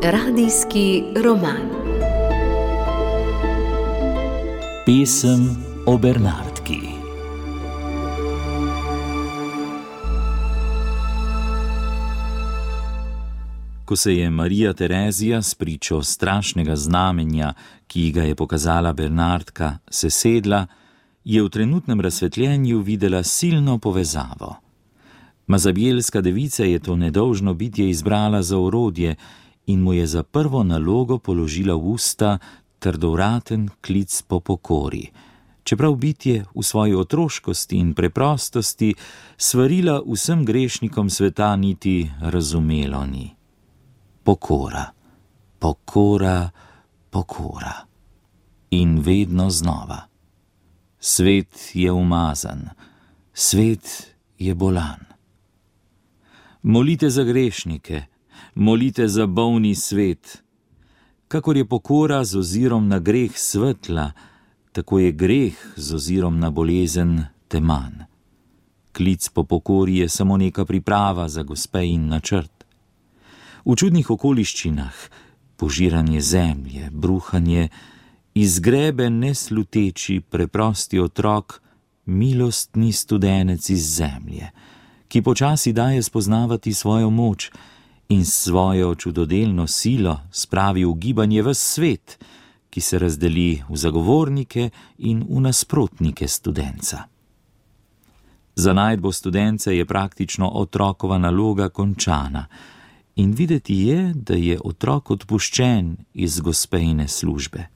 Radijski roman. Pesem o Bernardki. Ko se je Marija Terezija spričo strašnega znamenja, ki ga je pokazala Bernardka, sesedla, je v trenutnem razsvetljenju videla silno povezavo. Mazabjelska devica je to nedolžno bitje izbrala za orodje in mu je za prvo nalogo položila v usta trdovraten klic po pokori, čeprav bitje v svoji otroškosti in preprostosti svarila vsem grešnikom sveta niti razumelo ni. Pokora, pokora, pokora. In vedno znova. Svet je umazan, svet je bolan. Molite za grešnike, molite za bolni svet. Kakor je pokora z ozirom na greh svetla, tako je greh z ozirom na bolezen teman. Klic po pokori je samo neka priprava za gospe in načrt. V čudnih okoliščinah, požiranje zemlje, bruhanje, izgrebe nesluteči preprosti otrok, milostni studenec iz zemlje, ki počasi daje spoznavati svojo moč in svojo čudodelno silo spravi v gibanje ves svet, ki se razdeli v zagovornike in v nasprotnike studenca. Za najdbo studence je praktično otrokova naloga končana in videti je, da je otrok odpuščen iz gospejne službe.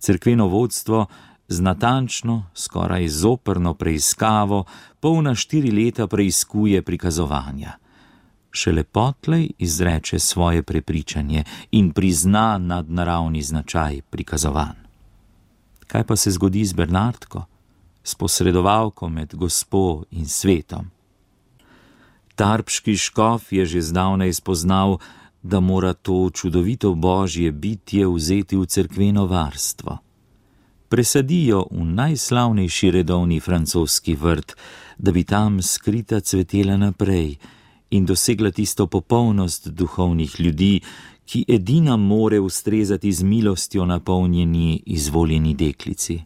Cerkveno vodstvo z natančno, skoraj zoprno preiskavo polna 4 leta preiskuje prikazovanja. Šele potlej izreče svoje prepričanje in prizna nadnaravni značaj prikazovanj. Kaj pa se zgodi z Bernardko, s posredovalko med gospo in svetom? Tarbški škof je že zdavnaj spoznal, da mora to čudovito božje bitje vzeti v cerkveno varstvo. Presadijo v najslavnejši redovni francoski vrt, da bi tam skrita cvetela naprej in dosegla tisto popolnost duhovnih ljudi, ki edina more ustrezati z milostjo napolnjeni izvoljeni deklici.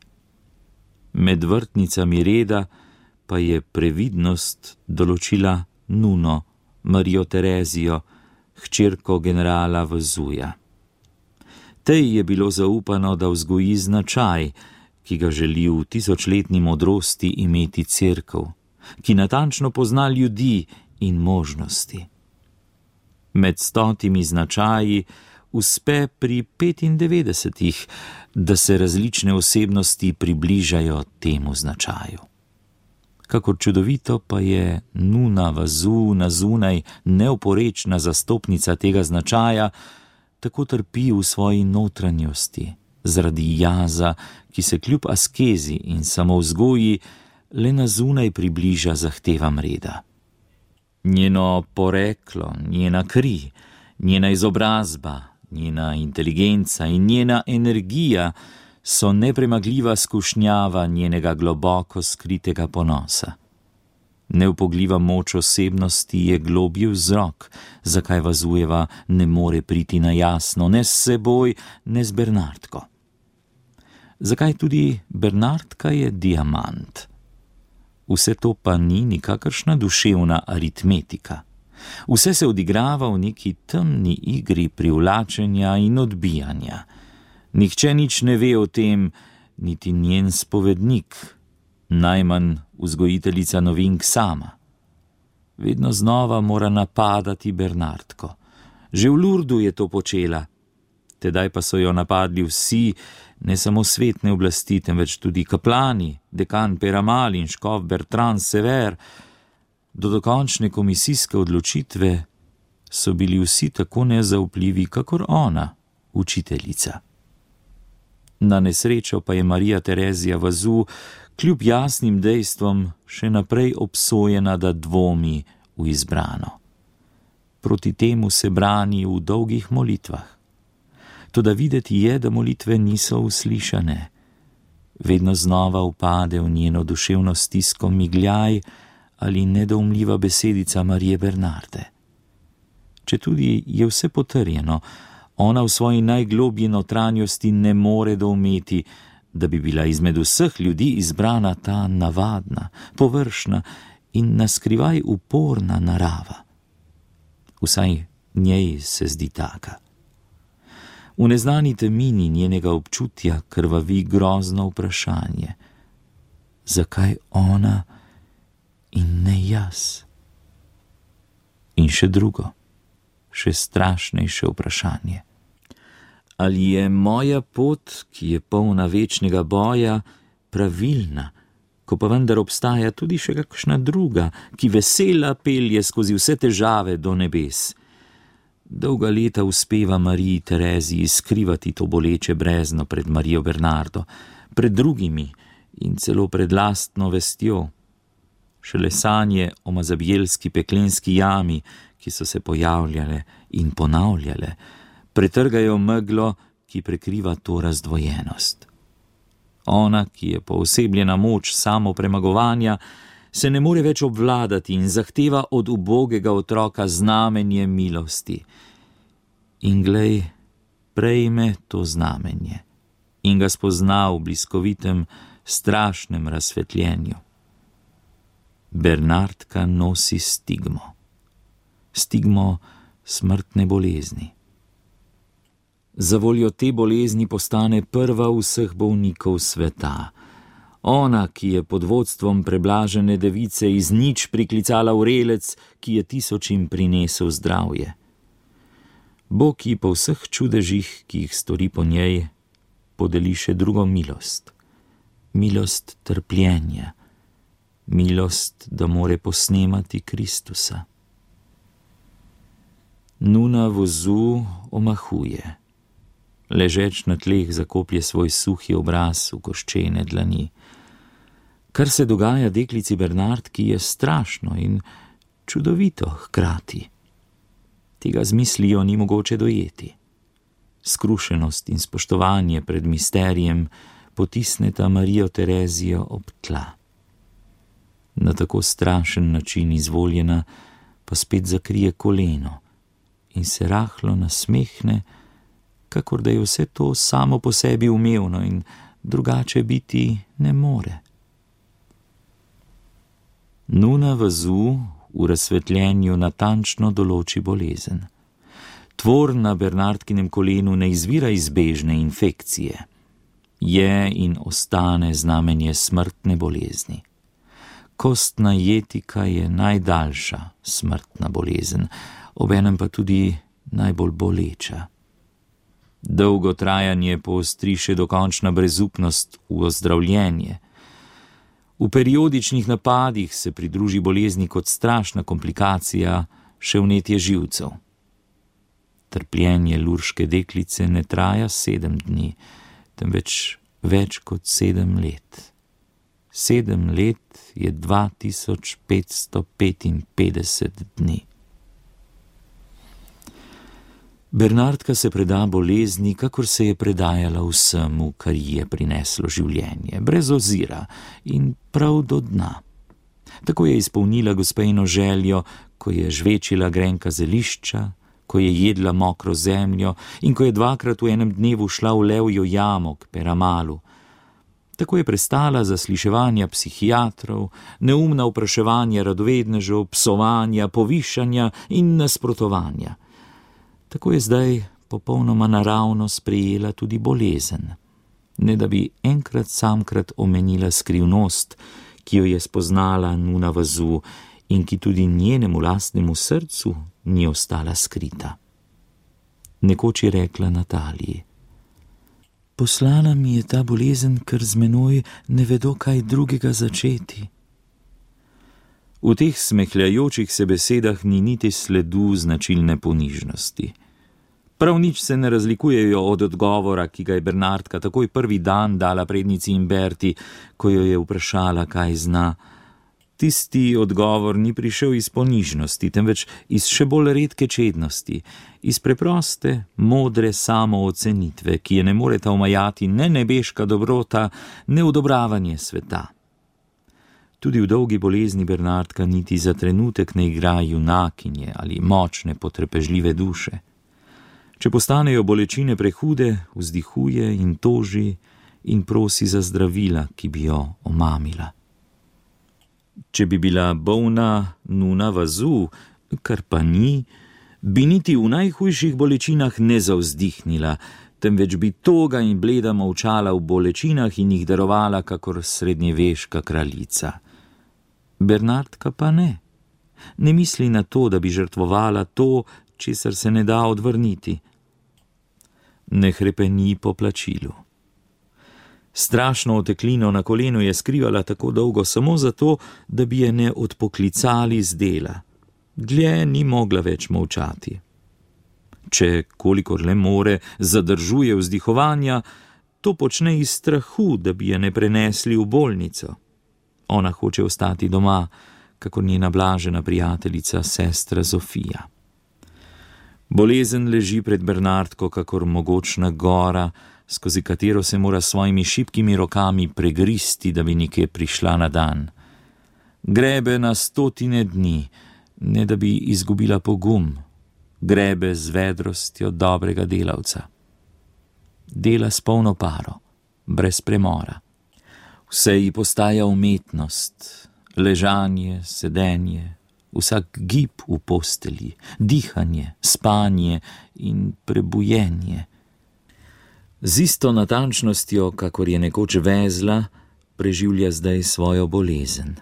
Med vrtnicami reda pa je previdnost določila Nuno, Marijo Terezijo, hčerko generala Vezuja. Tej je bilo zaupano, da vzgoji značaj, ki ga želi v tisočletni modrosti imeti cerkev, ki natančno pozna ljudi in možnosti. Med 100 značaji uspe pri 95, da se različne osebnosti približajo temu značaju. Kakor čudovito pa je Nuna Vazu na zunaj neoporečna zastopnica tega značaja, tako trpi v svoji notranjosti, zaradi jaza, ki se kljub askezi in samovzgoji le na zunaj približa zahtevam reda. Njeno poreklo, njena kri, njena izobrazba, njena inteligenca in njena energija so nepremagljiva skušnjava njenega globoko skritega ponosa. Neupogljiva moč osebnosti je globji vzrok, zakaj Vazujeva ne more priti na jasno, ne s seboj, ne z Bernardko. Zakaj tudi Bernardka je diamant? Vse to pa ni nikakršna duševna aritmetika. Vse se odigrava v neki temni igri privlačenja in odbijanja. Nihče nič ne ve o tem, niti njen spovednik, najmanj vzgojiteljica novink sama. Vedno znova mora napadati Bernardko. Že v Lurdu je to počela. Tedaj pa so jo napadli vsi, ne samo svetne oblasti, temveč tudi kaplani, dekan Peramal in škof Bertrand Sever. Do dokončne komisijske odločitve so bili vsi tako nezaupljivi, kakor ona, učiteljica. Na nesrečo pa je Marija Terezija Vazu kljub jasnim dejstvom še naprej obsojena, da dvomi v izbrano. Proti temu se brani v dolgih molitvah. Toda videti je, da molitve niso uslišane. Vedno znova upade v njeno duševno stisko migljaj ali nedoumljiva besedica Marije Bernarde. Četudi je vse potrjeno, ona v svoji najglobji notranjosti ne more doumeti, da bi bila izmed vseh ljudi izbrana ta navadna, površna in naskrivaj uporna narava. Vsaj njej se zdi taka. V neznani temini njenega občutja krvavi grozno vprašanje. Zakaj ona in ne jaz? In še drugo, še strašnejše vprašanje. Ali je moja pot, ki je polna večnega boja, pravilna, ko pa vendar obstaja tudi še kakšna druga, ki vesela pelje skozi vse težave do nebes? Dolga leta uspeva Mariji Tereziji skrivati to boleče brezno pred Marijo Bernardo, pred drugimi in celo pred lastno vestjo. Šele sanje o mazabjelski peklenski jami, ki so se pojavljale in ponavljale, pretrgajo meglo, ki prekriva to razdvojenost. Ona, ki je poosebljena moč samopremagovanja, se ne more več obvladati in zahteva od ubogega otroka znamenje milosti. In glej, prejme to znamenje in ga spozna v bliskovitem, strašnem razsvetljenju. Bernardka nosi stigmo. Stigmo smrtne bolezni. Zavoljo te bolezni postane prva vseh bolnikov sveta. Ona, ki je pod vodstvom preblažene device iz nič priklicala vrelec, ki je tisočim prinesel zdravje. Bog ji po vseh čudežih, ki jih stori po njej, podeli še drugo milost. Milost trpljenja. Milost, da more posnemati Kristusa. Nuna vozu omahuje. Ležeč na tleh zakoplje svoj suhi obraz v koščene dlani. Kar se dogaja deklici Bernardki, je strašno in čudovito hkrati. Tega z mislijo ni mogoče dojeti. Skrušenost in spoštovanje pred misterijem potisneta Marijo Terezijo ob tla. Na tako strašen način izvoljena pa spet zakrije koleno in se rahlo nasmehne, kakor da je vse to samo po sebi umevno in drugače biti ne more. Nuna vazu v razsvetljenju natančno določi bolezen. Tvor na Bernardkinem kolenu ne izvira iz bežne infekcije. Je in ostane znamenje smrtne bolezni. Kostna jetika je najdaljša smrtna bolezen, obenem pa tudi najbolj boleča. Dolgo trajanje poostri še dokončna brezupnost v ozdravljenje. V periodičnih napadih se pridruži bolezni kot strašna komplikacija še vnetje živcev. Trpljenje lurške deklice ne traja 7 dni, temveč več kot 7 let. 7 let je 2555 dni. Bernardka se preda bolezni, kakor se je predajala vsemu, kar ji je prineslo življenje, brez ozira in prav do dna. Tako je izpolnila gospejino željo, ko je žvečila grenka zelišča, ko je jedla mokro zemljo in ko je 2krat v enem dnevu šla v levjo jamo k Peramalu. Tako je prestala zasliševanja psihiatrov, neumna vpraševanja radovednežev, psovanja, povišanja in nasprotovanja. Tako je zdaj popolnoma naravno sprejela tudi bolezen, ne da bi enkrat samkrat omenila skrivnost, ki jo je spoznala Nuna vazu in ki tudi njenemu lastnemu srcu ni ostala skrita. Nekoč je rekla Nataliji: poslala mi je ta bolezen, ker z menoj ne vedo, kaj drugega začeti. V teh smehljajočih se besedah ni niti sledu značilne ponižnosti. Prav nič se ne razlikujejo od odgovora, ki ga je Bernardka takoj prvi dan dala prednici Imberti, ko jo je vprašala, kaj zna. Tisti odgovor ni prišel iz ponižnosti, temveč iz še bolj redke čednosti, iz preproste, modre samoocenitve, ki je ne moreta omajati ne nebeška dobrota, ne odobravanje sveta. Tudi v dolgi bolezni Bernardka niti za trenutek ne igra junakinje ali močne, potrpežljive duše. Če postanejo bolečine prehude, vzdihuje in toži in prosi za zdravila, ki bi jo omamila. Če bi bila bolna nuna vazu, kar pa ni, bi niti v najhujših bolečinah ne zavzdihnila, temveč bi toga in bleda molčala v bolečinah in jih darovala kakor srednjeveška kraljica. Bernardka pa ne. Ne misli na to, da bi žrtvovala to, česar se ne da odvrniti. Ne hrepeni po plačilu. Strašno oteklino na kolenu je skrivala tako dolgo samo zato, da bi je ne odpoklicali z dela. Dlje ni mogla več molčati. Če, kolikor le more, zadržuje vzdihovanja, to počne iz strahu, da bi je ne prenesli v bolnico. Ona hoče ostati doma, kakor njena blažena prijateljica, sestra Zofija. Bolezen leži pred Bernardko kakor mogočna gora, skozi katero se mora svojimi šibkimi rokami pregristi, da bi nekje prišla na dan. Grebe na 100 dni, ne da bi izgubila pogum, grebe z vedrostjo dobrega delavca. Dela s polno paro, brez premora. Vse ji postaja umetnost, ležanje, sedenje, vsak gib v postelji, dihanje, spanje in prebujenje. Z isto natančnostjo, kakor je nekoč vezla, preživlja zdaj svojo bolezen.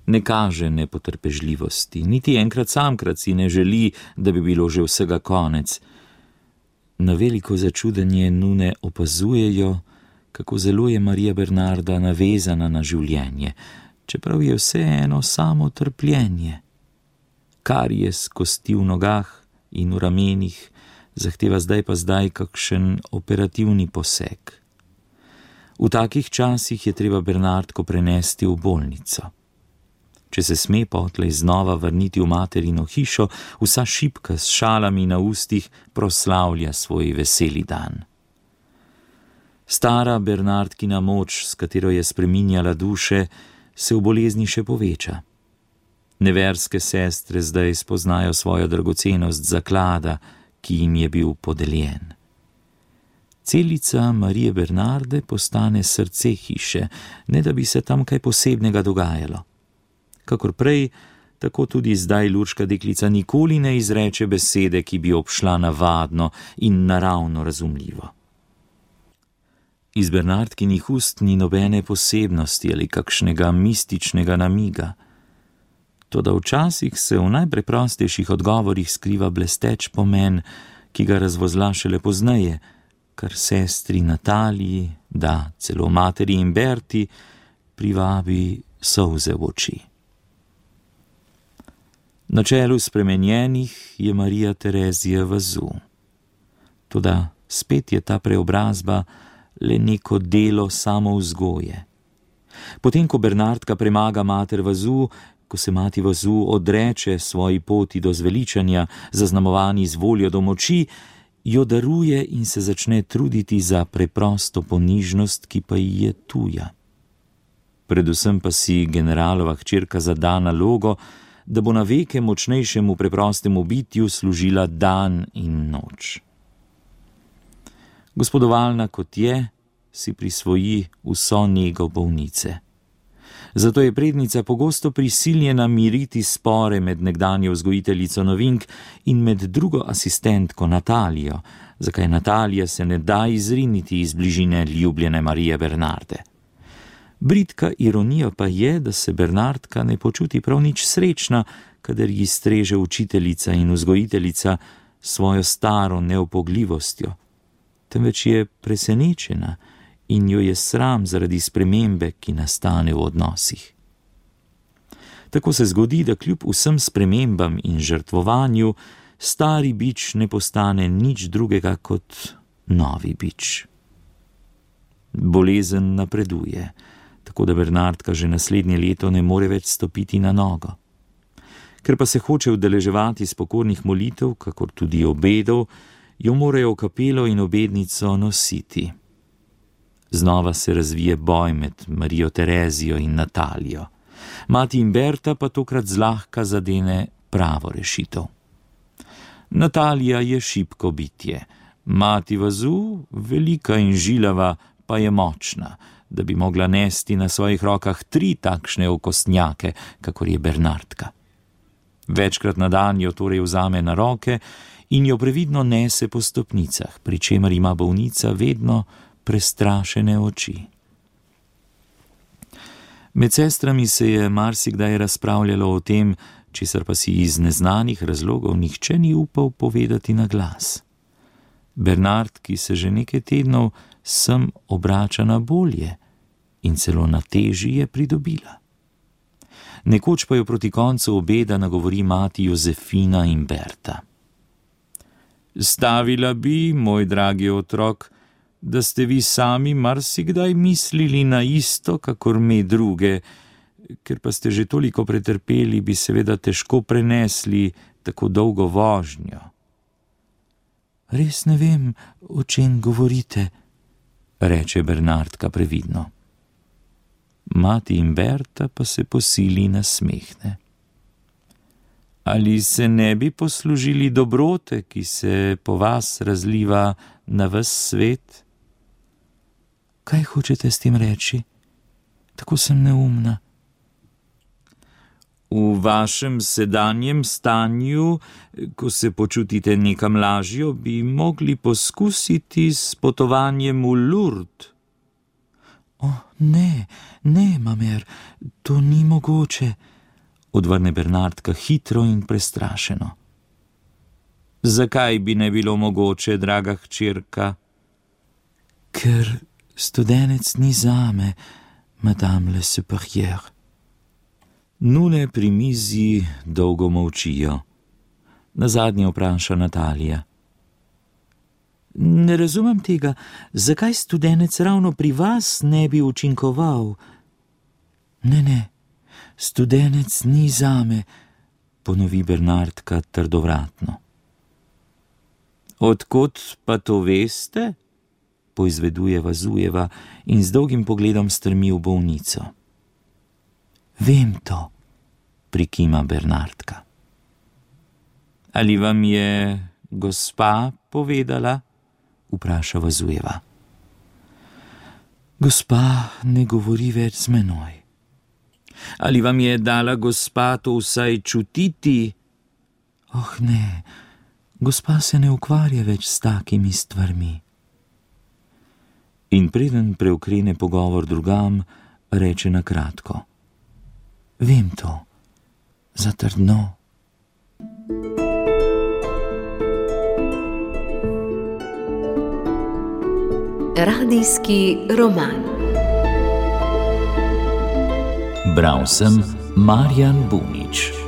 Ne kaže nepotrpežljivosti, niti enkrat samkrat si ne želi, da bi bilo že vsega konec. Na veliko začudenje nune opazujejo, kako zelo je Marija Bernarda navezana na življenje, čeprav je vseeno samo trpljenje. Karies kosti v nogah in v ramenih zahteva zdaj pa kakšen operativni poseg. V takih časih je treba Bernardko prenesti v bolnico. Če se sme potlej znova vrniti v materino hišo, vsa šibka s šalami na ustih proslavlja svoj veseli dan. Stara Bernardkina moč, s katero je spreminjala duše, se v bolezni še poveča. Neverske sestre zdaj spoznajo svojo dragocenost zaklada, ki jim je bil podeljen. Celica Marije Bernarde postane srce hiše, ne da bi se tam kaj posebnega dogajalo. Kakor prej, tako tudi zdaj Lurška deklica nikoli ne izreče besede, ki bi obšla navadno in naravno razumljivo. Iz Bernardkinih ust ni nobene posebnosti ali kakšnega mističnega namiga. Toda včasih se v najpreprostejših odgovorih skriva blesteč pomen, ki ga razvozla šele pozneje, kar sestri Nataliji, da celo materi in Berti, privabi solze v oči. Na čelu spremenjenih je Marija Terezija vazu. Toda spet je ta preobrazba le neko delo samovzgoje. Potem, ko Bernardka premaga mater vazu, ko se mati vazu odreče svoji poti do zveličanja, zaznamovani z voljo do moči, jo daruje in se začne truditi za preprosto ponižnost, ki pa ji je tuja. Predvsem pa si generalova hčerka zada nalogo, da bo na veke močnejšemu preprostemu bitju služila dan in noč. Gospodovalna kot je, si prisvoji vso nego bolnice. Zato je prednica pogosto prisiljena miriti spore med nekdanjo vzgojiteljico novink in med drugo asistentko Natalijo, zakaj Natalija se ne da izriniti iz bližine ljubljene Marije Bernarde. Bridka ironija pa je, da se Bernardka ne počuti prav nič srečna, kadar ji streže učiteljica in vzgojiteljica svojo staro neupogljivostjo, temveč je presenečena in jo je sram zaradi spremembe, ki nastane v odnosih. Tako se zgodi, da kljub vsem spremembam in žrtvovanju, stari bič ne postane nič drugega kot novi bič. Bolezen napreduje, tako da Bernardka že naslednje leto ne more več stopiti na nogo. Ker pa se hoče udeleževati spokornih molitev, kakor tudi obedov, jo morajo v kapelo in obednico nositi. Znova se razvije boj med Marijo Terezijo in Natalijo. Mati Imberta pa tokrat zlahka zadene pravo rešitev. Natalija je šibko bitje, mati vazu, velika in žilava, pa je močna, da bi mogla nesti na svojih rokah 3 takšne okostnjake, kakor je Bernardka. Večkrat na dan jo torej vzame na roke in jo previdno nese po stopnicah, pri čemer ima bolnica vedno prestrašene oči. Med sestrami se je marsikdaj razpravljalo o tem, česar pa si iz neznanih razlogov nihče ni upal povedati na glas. Bernard, ki se že nekaj tednov sem obrača na bolje in celo na teži je pridobila. Nekoč pa jo proti koncu obeda nagovori mati Jozefina Imberta. Stavila bi, moj dragi otrok, da ste vi sami marsikdaj mislili na isto, kakor me druge, ker pa ste že toliko pretrpeli, bi seveda težko prenesli tako dolgo vožnjo. Res ne vem, o čem govorite, reče Bernardka previdno. Mati Imberta pa se posili nasmehne. Ali se ne bi poslužili dobrote, ki se po vas razliva na ves svet? Kaj hočete s tem reči? Tako sem neumna. V vašem sedanjem stanju, ko se počutite nekam lažjo, bi mogli poskusiti s potovanjem v Lourdes. Ne, mamer, to ni mogoče, odvrne Bernardka hitro in prestrašeno. Zakaj bi ne bilo mogoče, draga hčerka? Ker studenec ni zame, madame le supérieure. Nune pri mizi dolgo molčijo. Nazadnje vpraša Natalija. Ne razumem tega, zakaj studenec ravno pri vas ne bi učinkoval? Ne, studenec ni zame, ponovi Bernardka trdovratno. Odkot pa to veste? Poizveduje Vazujeva in z dolgim pogledom strmi v bolnico. Vem to, prikima Bernardka. Ali vam je gospa povedala? Vpraša Vazujeva. Gospa ne govori več z menoj. Ali vam je dala gospa to vsaj čutiti? Ne, gospa se ne ukvarja več s takimi stvarmi. In preden preokrene pogovor drugam, reče na kratko. Vem to, zatrdno. Radijski roman. Bral sem Marjan Bunič.